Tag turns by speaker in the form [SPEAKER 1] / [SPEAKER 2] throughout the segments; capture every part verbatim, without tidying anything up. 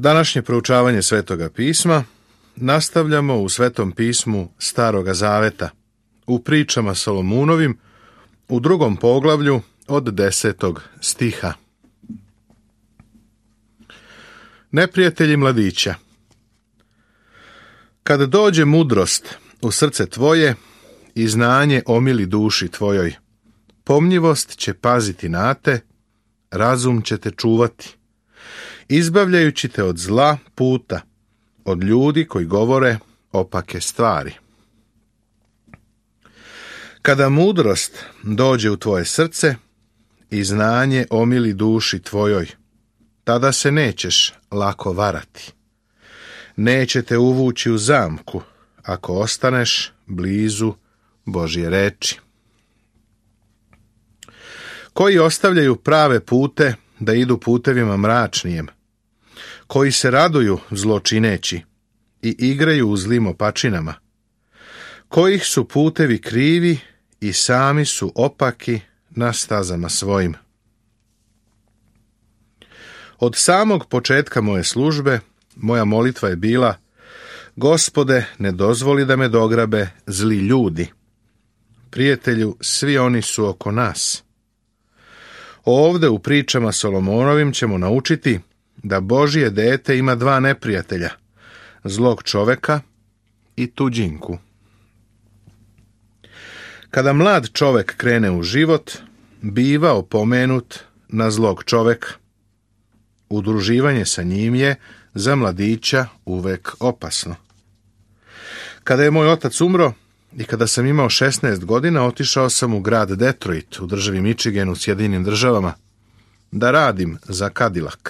[SPEAKER 1] Današnje proučavanje Svetoga pisma nastavljamo u Svetom pismu Staroga Zaveta, u pričama Solomunovim, u drugom poglavlju od desetog stiha. Neprijatelji mladića. Kad dođe mudrost u srce tvoje i znanje omili duši tvojoj, pomnjivost će paziti na te, razum će te čuvati, izbavljajući te od zla puta, od ljudi koji govore opake stvari. Kada mudrost dođe u tvoje srce i znanje omili duši tvojoj, tada se nećeš lako varati. Neće te uvući u zamku, ako ostaneš blizu Božje reči. Koji ostavljaju prave pute da idu putevima mračnijem, koji se raduju zločineći i igraju u zlim opačinama, kojih su putevi krivi i sami su opaki na stazama svojim. Od samog početka moje službe, moja molitva je bila: Gospode, ne dozvoli da me dograbe zli ljudi. Prijatelju, svi oni su oko nas. Ovde u pričama Solomonovim ćemo naučiti da Božje dete ima dva neprijatelja, zlog čoveka i tuđinku. Kada mlad čovek krene u život, biva opomenut na zlog čoveka. Udruživanje sa njim je za mladića uvek opasno. Kada je moj otac umro i kada sam imao šesnaest godina, otišao sam u grad Detroit u državi Michigan u Sjedinjenim državama da radim za Cadillac.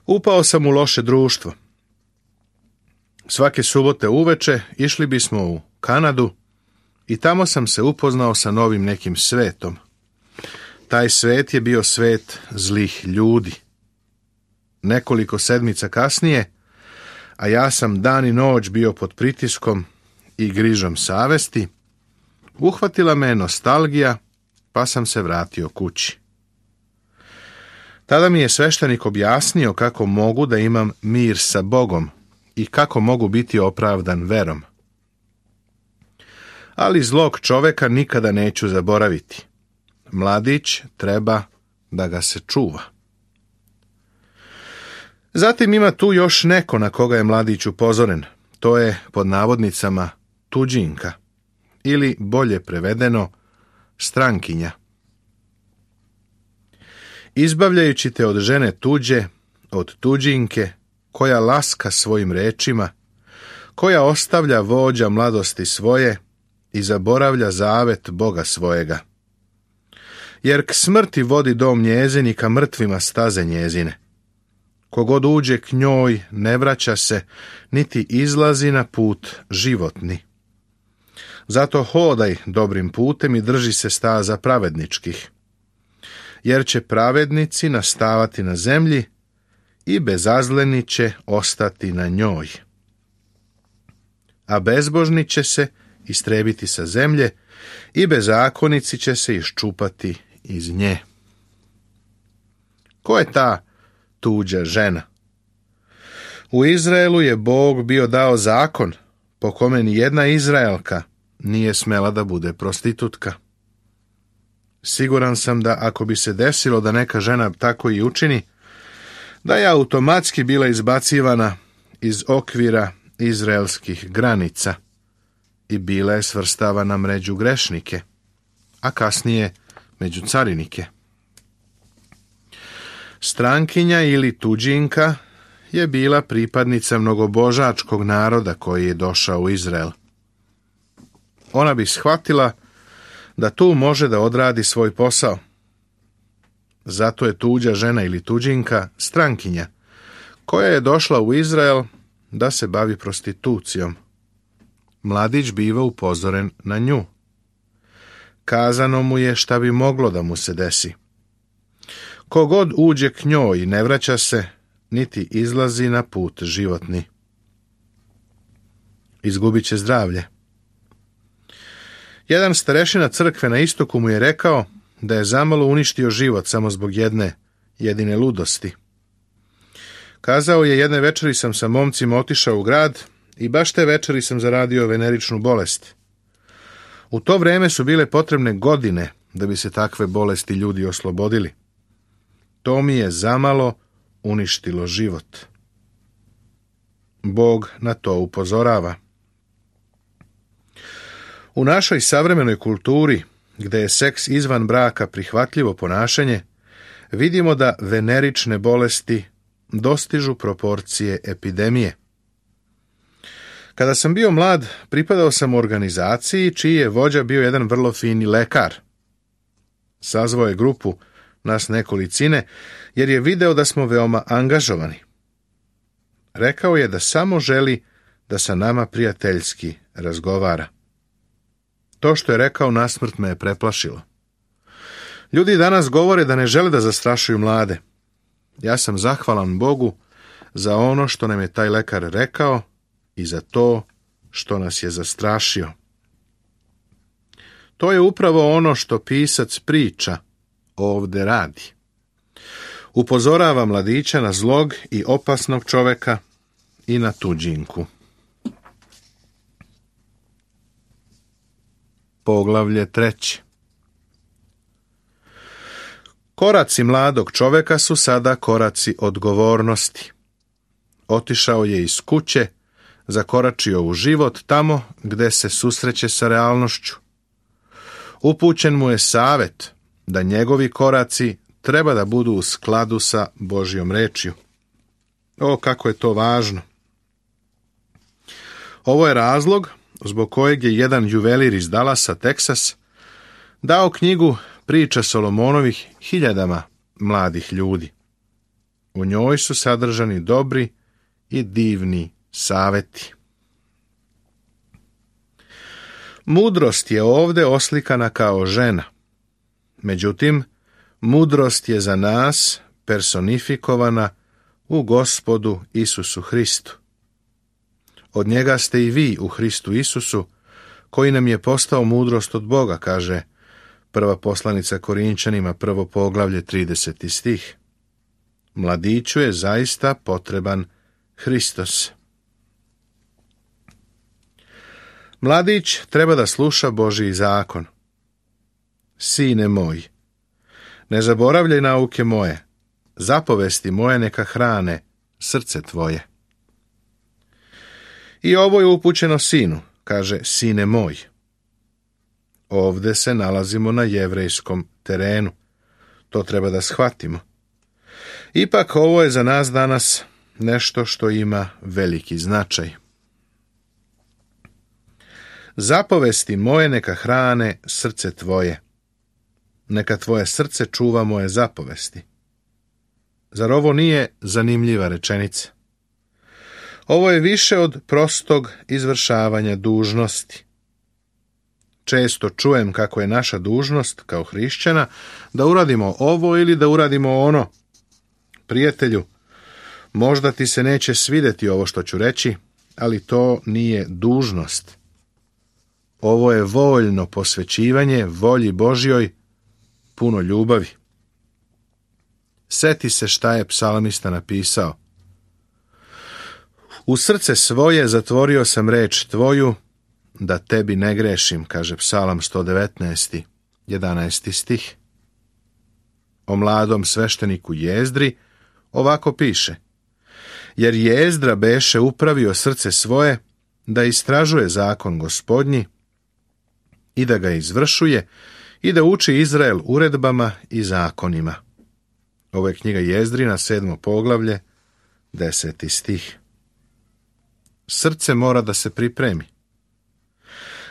[SPEAKER 1] Upao sam u loše društvo. Svake subote uveče išli bismo u Kanadu i tamo sam se upoznao sa novim nekim svetom. Taj svet je bio svet zlih ljudi. Nekoliko sedmica kasnije, a ja sam dan i noć bio pod pritiskom i grižom savesti, uhvatila me nostalgija, pa sam se vratio kući. Tada mi je sveštenik objasnio kako mogu da imam mir sa Bogom i kako mogu biti opravdan verom. Ali zlog čoveka nikada neću zaboraviti. Mladić treba da ga se čuva. Zatim ima tu još neko na koga je mladić upozoren. To je, pod navodnicama, tuđinka, ili bolje prevedeno, strankinja. Izbavljajući te od žene tuđe, od tuđinke, koja laska svojim rečima, koja ostavlja vođa mladosti svoje i zaboravlja zavet Boga svojega. Jer k smrti vodi dom njezin i ka mrtvima staze njezine. Kogod uđe k njoj ne vraća se, niti izlazi na put životni. Zato hodaj dobrim putem i drži se staza pravedničkih. Jer će pravednici nastavati na zemlji i bezazleni će ostati na njoj. A bezbožni će se istrebiti sa zemlje i bezakonici će se iščupati iz nje. Ko je ta tuđa žena? U Izraelu je Bog bio dao zakon po kome ni jedna Izraelka nije smela da bude prostitutka. Siguran sam da ako bi se desilo da neka žena tako i učini, da je automatski bila izbacivana iz okvira izraelskih granica i bila je svrstavana među grešnike, a kasnije među carinike. Strankinja ili tuđinka je bila pripadnica mnogobožačkog naroda koji je došao u Izrael. Ona bi shvatila da tu može da odradi svoj posao. Zato je tuđa žena ili tuđinka strankinja, koja je došla u Izrael da se bavi prostitucijom. Mladić biva upozoren na nju. Kazano mu je šta bi moglo da mu se desi. Kogod uđe k njoj ne vraća se, niti izlazi na put životni. Izgubit će zdravlje. Jedan starešina crkve na istoku mu je rekao da je zamalo uništio život samo zbog jedne jedine ludosti. Kazao je, jedne večeri sam sa momcima otišao u grad i baš te večeri sam zaradio veneričnu bolest. U to vrijeme su bile potrebne godine da bi se takve bolesti ljudi oslobodili. To mi je zamalo uništilo život. Bog na to upozorava. U našoj savremenoj kulturi, gdje je seks izvan braka prihvatljivo ponašanje, vidimo da venerične bolesti dostižu proporcije epidemije. Kada sam bio mlad, pripadao sam u organizaciji čiji je vođa bio jedan vrlo fini lekar. Sazvao je grupu, nas nekolicine, jer je video da smo veoma angažovani. Rekao je da samo želi da sa nama prijateljski razgovara. To što je rekao nasmrt me je preplašilo. Ljudi danas govore da ne žele da zastrašuju mlade. Ja sam zahvalan Bogu za ono što nam je taj lekar rekao i za to što nas je zastrašio. To je upravo ono što pisac priča ovdje radi. Upozorava mladića na zlog i opasnog čoveka i na tuđinku. Poglavlje treće. Koraci mladog čoveka su sada koraci odgovornosti. Otišao je iz kuće, zakoračio u život tamo gdje se susreće sa realnošću. Upućen mu je savjet da njegovi koraci treba da budu u skladu sa Božjom rečju. O, kako je to važno! Ovo je razlog zbog kojeg je jedan juvelir iz Dallasa, Teksas, dao knjigu Priča Solomonovih hiljadama mladih ljudi. U njoj su sadržani dobri i divni savjeti. Mudrost je ovdje oslikana kao žena. Međutim, mudrost je za nas personifikovana u Gospodu Isusu Hristu. Od njega ste i vi u Hristu Isusu, koji nam je postao mudrost od Boga, kaže prva poslanica Korinčanima, prvo poglavlje, trideseti stih. Mladiću je zaista potreban Hristos. Mladić treba da sluša Božji zakon. Sine moj, ne zaboravljaj nauke moje, zapovesti moje neka hrane srce tvoje. I ovo je upućeno sinu, kaže sine moj. Ovdje se nalazimo na jevrejskom terenu. To treba da shvatimo. Ipak ovo je za nas danas nešto što ima veliki značaj. Zapovesti moje neka hrane srce tvoje. Neka tvoje srce čuva moje zapovesti. Zar ovo nije zanimljiva rečenica? Ovo je više od prostog izvršavanja dužnosti. Često čujem kako je naša dužnost kao hrišćana da uradimo ovo ili da uradimo ono. Prijatelju, možda ti se neće svidjeti ovo što ću reći, ali to nije dužnost. Ovo je voljno posvećivanje volji Božjoj, puno ljubavi. Seti se šta je psalmista napisao. U srce svoje zatvorio sam reč tvoju, da tebi ne grešim, kaže Psalam sto devetnaest, jedanaesti stih. O mladom svešteniku Jezdri ovako piše: jer Jezdra beše upravio srce svoje da istražuje zakon Gospodnji i da ga izvršuje i da uči Izrael uredbama i zakonima. Ovo je knjiga Jezdrina, sedmo poglavlje, deseti stih. Srce mora da se pripremi.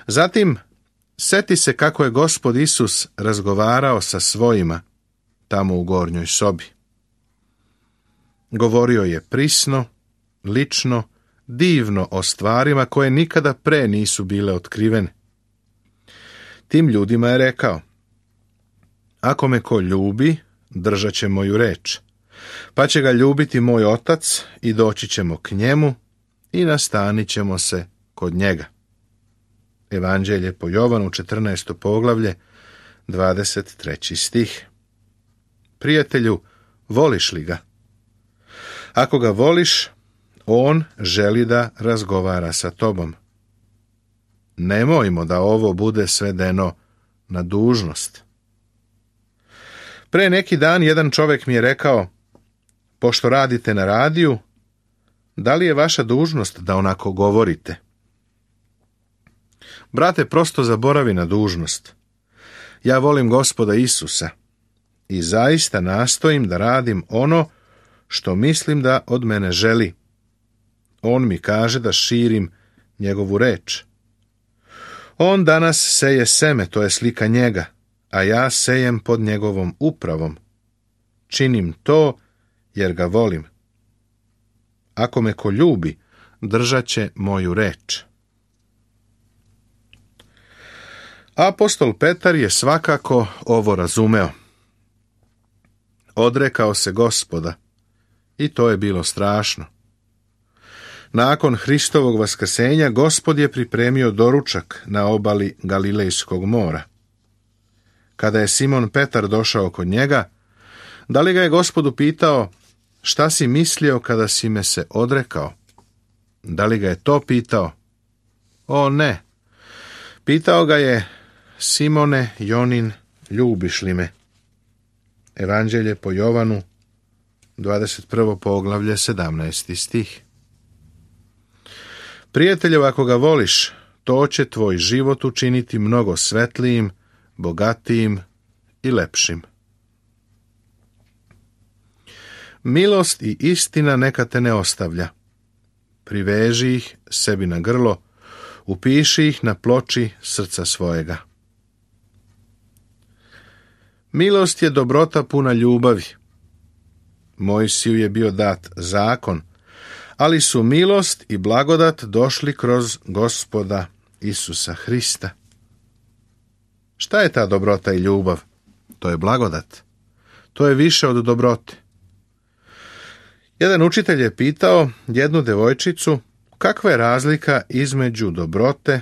[SPEAKER 1] Zatim, seti se kako je Gospod Isus razgovarao sa svojima tamo u gornjoj sobi. Govorio je prisno, lično, divno o stvarima koje nikada pre nisu bile otkrivene. Tim ljudima je rekao: ako me ko ljubi, držat će moju reč, pa će ga ljubiti moj otac i doći ćemo k njemu i nastanit ćemo se kod njega. Evanđelje po Jovanu, četrnaesto poglavlje, dvadeset treći stih. Prijatelju, voliš li ga? Ako ga voliš, on želi da razgovara sa tobom. Nemojmo da ovo bude svedeno na dužnost. Pre neki dan jedan čovjek mi je rekao, pošto radite na radiju, da li je vaša dužnost da onako govorite? Brate, prosto zaboravi na dužnost. Ja volim Gospoda Isusa i zaista nastojim da radim ono što mislim da od mene želi. On mi kaže da širim njegovu reč. On danas seje seme, to je slika njega, a ja sejem pod njegovom upravom. Činim to jer ga volim. Ako me ko ljubi, držat će moju reč. Apostol Petar je svakako ovo razumeo. Odrekao se Gospoda i to je bilo strašno. Nakon Hristovog vaskrsenja Gospod je pripremio doručak na obali Galilejskog mora. Kada je Simon Petar došao kod njega, da li ga je Gospod upitao, šta si mislio kada si me se odrekao? Da li ga je to pitao? O ne. Pitao ga je, Simone Jonin, ljubiš li me? Evanđelje po Jovanu, dvadeset prvo poglavlje, sedamnaesti stih. Prijatelju, ako ga voliš, to će tvoj život učiniti mnogo svetlijim, bogatijim i lepšim. Milost i istina neka te ne ostavlja. Priveži ih sebi na grlo, upiši ih na ploči srca svojega. Milost je dobrota puna ljubavi. Mojsiju je bio dat zakon, ali su milost i blagodat došli kroz Gospoda Isusa Hrista. Šta je ta dobrota i ljubav? To je blagodat. To je više od dobrote. Jedan učitelj je pitao jednu devojčicu kakva je razlika između dobrote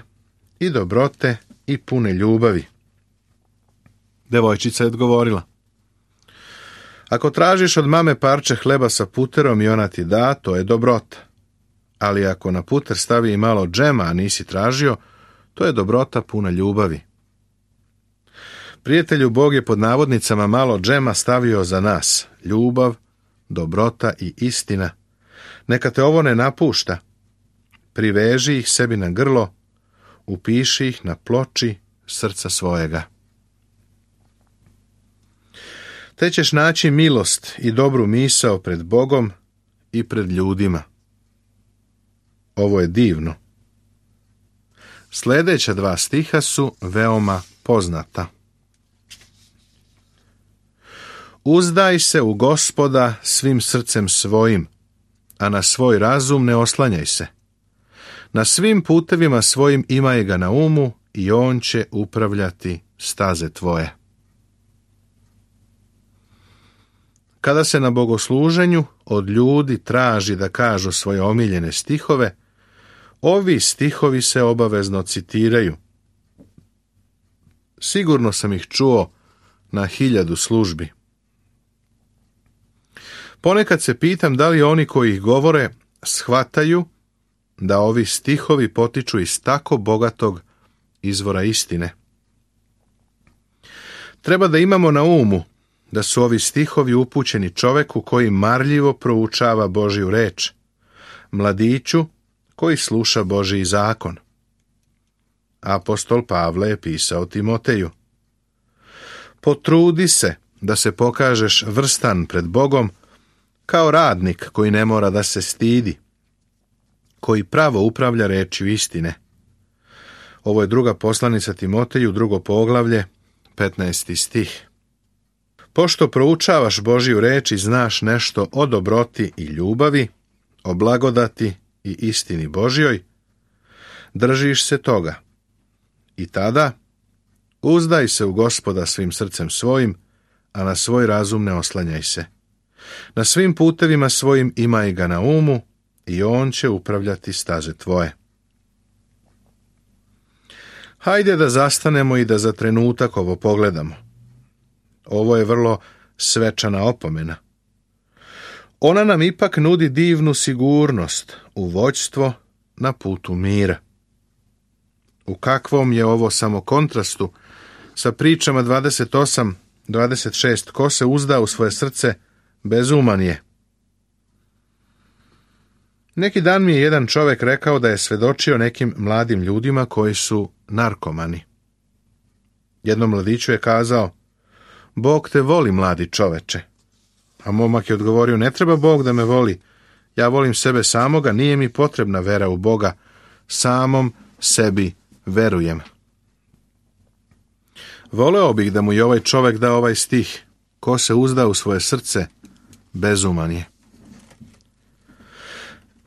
[SPEAKER 1] i dobrote i pune ljubavi. Devojčica je odgovorila, ako tražiš od mame parče hleba sa puterom i ona ti da, to je dobrota. Ali ako na puter stavi i malo džema, a nisi tražio, to je dobrota puna ljubavi. Prijatelju, Bog je pod navodnicama malo džema stavio za nas, ljubav, dobrota i istina. Neka te ovo ne napušta. Priveži ih sebi na grlo, upiši ih na ploči srca svojega. Te ćeš naći milost i dobru misao pred Bogom i pred ljudima. Ovo je divno. Sljedeća dva stiha su veoma poznata. Uzdaj se u Gospoda svim srcem svojim, a na svoj razum ne oslanjaj se. Na svim putevima svojim imaj ga na umu i on će upravljati staze tvoje. Kada se na bogosluženju od ljudi traži da kažu svoje omiljene stihove, ovi stihovi se obavezno citiraju. Sigurno sam ih čuo na hiljadu službi. Ponekad se pitam da li oni koji ih govore shvataju da ovi stihovi potiču iz tako bogatog izvora istine. Treba da imamo na umu da su ovi stihovi upućeni čoveku koji marljivo proučava Božju reč, mladiću koji sluša Božji zakon. Apostol Pavle je pisao Timoteju, potrudi se da se pokažeš vrstan pred Bogom kao radnik koji ne mora da se stidi, koji pravo upravlja rečju istine. Ovo je druga poslanica Timoteju, drugo poglavlje, petnaesti stih. Pošto proučavaš Božju reč i znaš nešto o dobroti i ljubavi, o blagodati i istini Božjoj, držiš se toga. I tada uzdaj se u Gospoda svim srcem svojim, a na svoj razum ne oslanjaj se. Na svim putevima svojim imaj ga na umu i on će upravljati staze tvoje. Hajde da zastanemo i da za trenutak ovo pogledamo. Ovo je vrlo svečana opomena. Ona nam ipak nudi divnu sigurnost u vođstvo na putu mira. U kakvom je ovo samo kontrastu sa pričama dvadeset osam dvadeset šest, ko se uzda u svoje srce, bezuman je. Neki dan mi je jedan čovjek rekao da je svedočio nekim mladim ljudima koji su narkomani. Jednom mladiću je kazao: Bog te voli, mladi čoveče. A momak je odgovorio: ne treba Bog da me voli, ja volim sebe samoga, nije mi potrebna vera u Boga, samom sebi verujem. Voleo bih da mu i ovaj čovjek da ovaj stih: ko se uzda u svoje srce, bezuman je.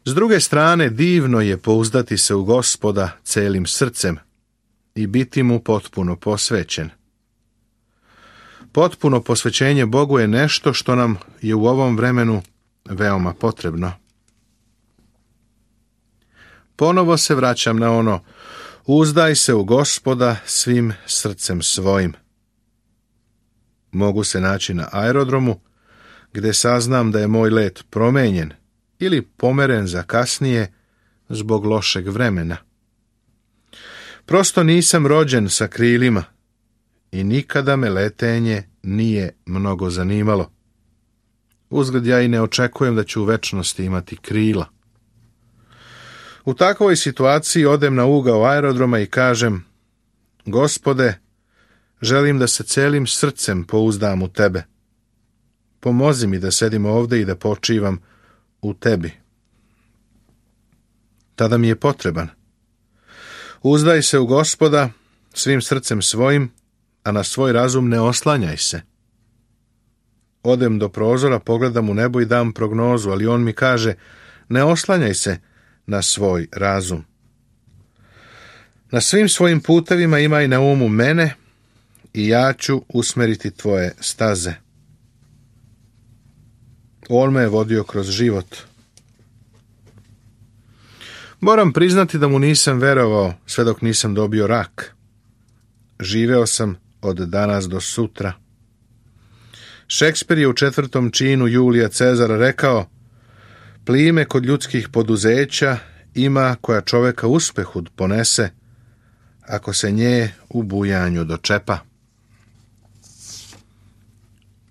[SPEAKER 1] S druge strane, divno je pouzdati se u Gospoda celim srcem i biti mu potpuno posvećen. Potpuno posvećenje Bogu je nešto što nam je u ovom vremenu veoma potrebno. Ponovo se vraćam na ono: uzdaj se u Gospoda svim srcem svojim. Mogu se naći na aerodromu, gdje saznam da je moj let promenjen ili pomeren za kasnije zbog lošeg vremena. Prosto nisam rođen sa krilima i nikada me letenje nije mnogo zanimalo. Uzgled ja i ne očekujem da ću u večnosti imati krila. U takvoj situaciji odem na ugao aerodroma i kažem: Gospode, želim da se celim srcem pouzdam u tebe. Pomozi mi da sedim ovdje i da počivam u tebi. Tada mi je potreban. Uzdaj se u Gospoda svim srcem svojim, a na svoj razum ne oslanjaj se. Odem do prozora, pogledam u nebo i dam prognozu, ali on mi kaže: ne oslanjaj se na svoj razum. Na svim svojim putevima imaj na umu mene i ja ću usmeriti tvoje staze. On me je vodio kroz život. Moram priznati da mu nisam verovao sve dok nisam dobio rak. Živeo sam od danas do sutra. Šekspir je u četvrtom činu Julija Cezara rekao: plime kod ljudskih poduzeća ima koja čoveka uspehu ponese, ako se nje u bujanju dočepa.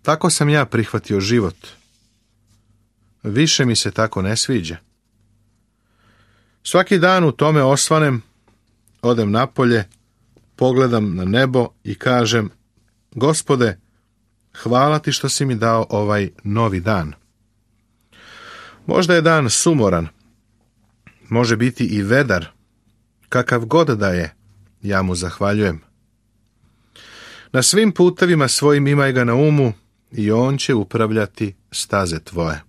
[SPEAKER 1] Tako sam ja prihvatio život. Više mi se tako ne sviđa. Svaki dan u tome osvanem, odem napolje, pogledam na nebo i kažem: Gospode, hvala ti što si mi dao ovaj novi dan. Možda je dan sumoran, može biti i vedar, kakav god da je, ja mu zahvaljujem. Na svim putevima svojim imaj ga na umu i on će upravljati staze tvoje.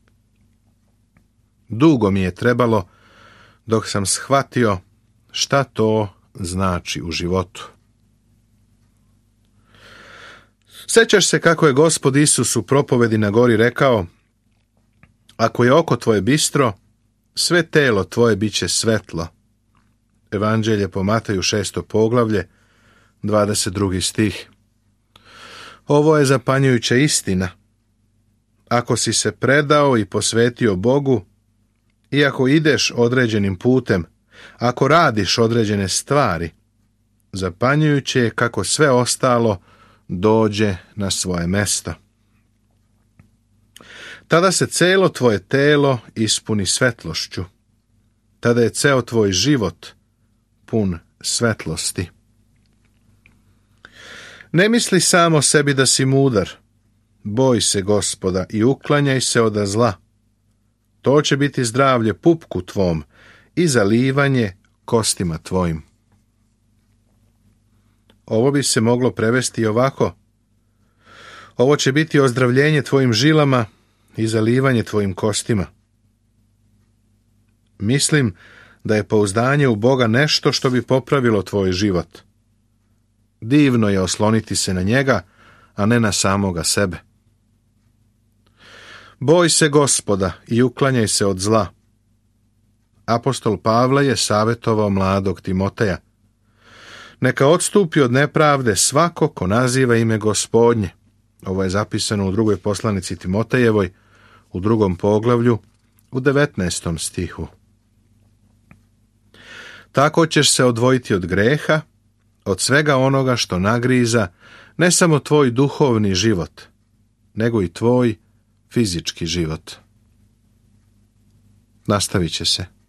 [SPEAKER 1] Dugo mi je trebalo dok sam shvatio šta to znači u životu. Sjećaš se kako je Gospod Isus u propovedi na gori rekao: ako je oko tvoje bistro, sve telo tvoje bit će svetlo. Evanđelje po Mateju šesto poglavlje, dvadeset drugi stih. Ovo je zapanjujuća istina. Ako si se predao i posvetio Bogu, i ako ideš određenim putem, ako radiš određene stvari, zapanjujuće je kako sve ostalo dođe na svoje mesto. Tada se celo tvoje telo ispuni svetlošću. Tada je ceo tvoj život pun svetlosti. Ne misli samo sebi da si mudar. Boj se Gospoda i uklanjaj se od zla. To će biti zdravlje pupku tvom i zalivanje kostima tvojim. Ovo bi se moglo prevesti ovako: ovo će biti ozdravljenje tvojim žilama i zalivanje tvojim kostima. Mislim da je pouzdanje u Boga nešto što bi popravilo tvoj život. Divno je osloniti se na njega, a ne na samoga sebe. Boj se Gospoda i uklanjaj se od zla. Apostol Pavle je savjetovao mladog Timoteja: neka odstupi od nepravde svako ko naziva ime Gospodnje. Ovo je zapisano u drugoj poslanici Timotejevoj, u drugom poglavlju, u devetnaestom stihu. Tako ćeš se odvojiti od greha, od svega onoga što nagriza ne samo tvoj duhovni život, nego i tvoj fizički život. Nastavit će se.